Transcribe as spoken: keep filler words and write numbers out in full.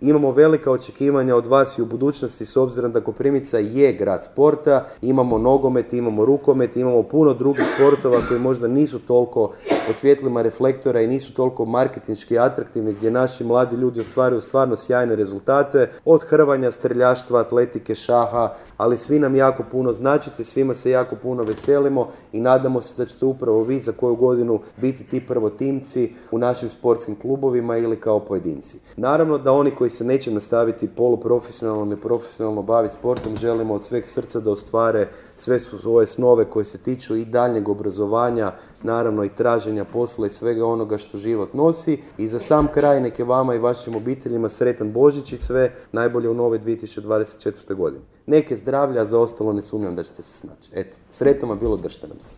Imamo velika očekivanja od vas i u budućnosti s obzirom da Koprivnica je grad sporta, imamo nogomet, imamo rukomet, imamo puno drugih sportova koji možda nisu toliko pod svjetlima reflektora i nisu toliko marketinški atraktivni gdje naši mladi ljudi ostvaruju stvarno sjajne rezultate, od hrvanja, streljaštva, atletike, šaha, ali svi nam jako puno značite, svima se jako puno veselimo i nadamo se da ćete upravo vi za koju godinu biti ti prvotimci u našim sportskim klubovima ili kao pojedinci. Naravno da oni koji se neće nastaviti poluprofesionalno, neprofesionalno baviti sportom, želimo od sveg srca da ostvare sve svoje snove koje se tiču i daljnjeg obrazovanja, naravno i traženja posla i svega onoga što život nosi. I za sam kraj neke vama i vašim obiteljima sretan Božić i sve najbolje u nove dvije tisuće dvadeset četvrte. godine. Neke zdravlja, a za ostalo ne sumnjam da ćete se snaći. Eto, sretno vam bilo, držite nam se.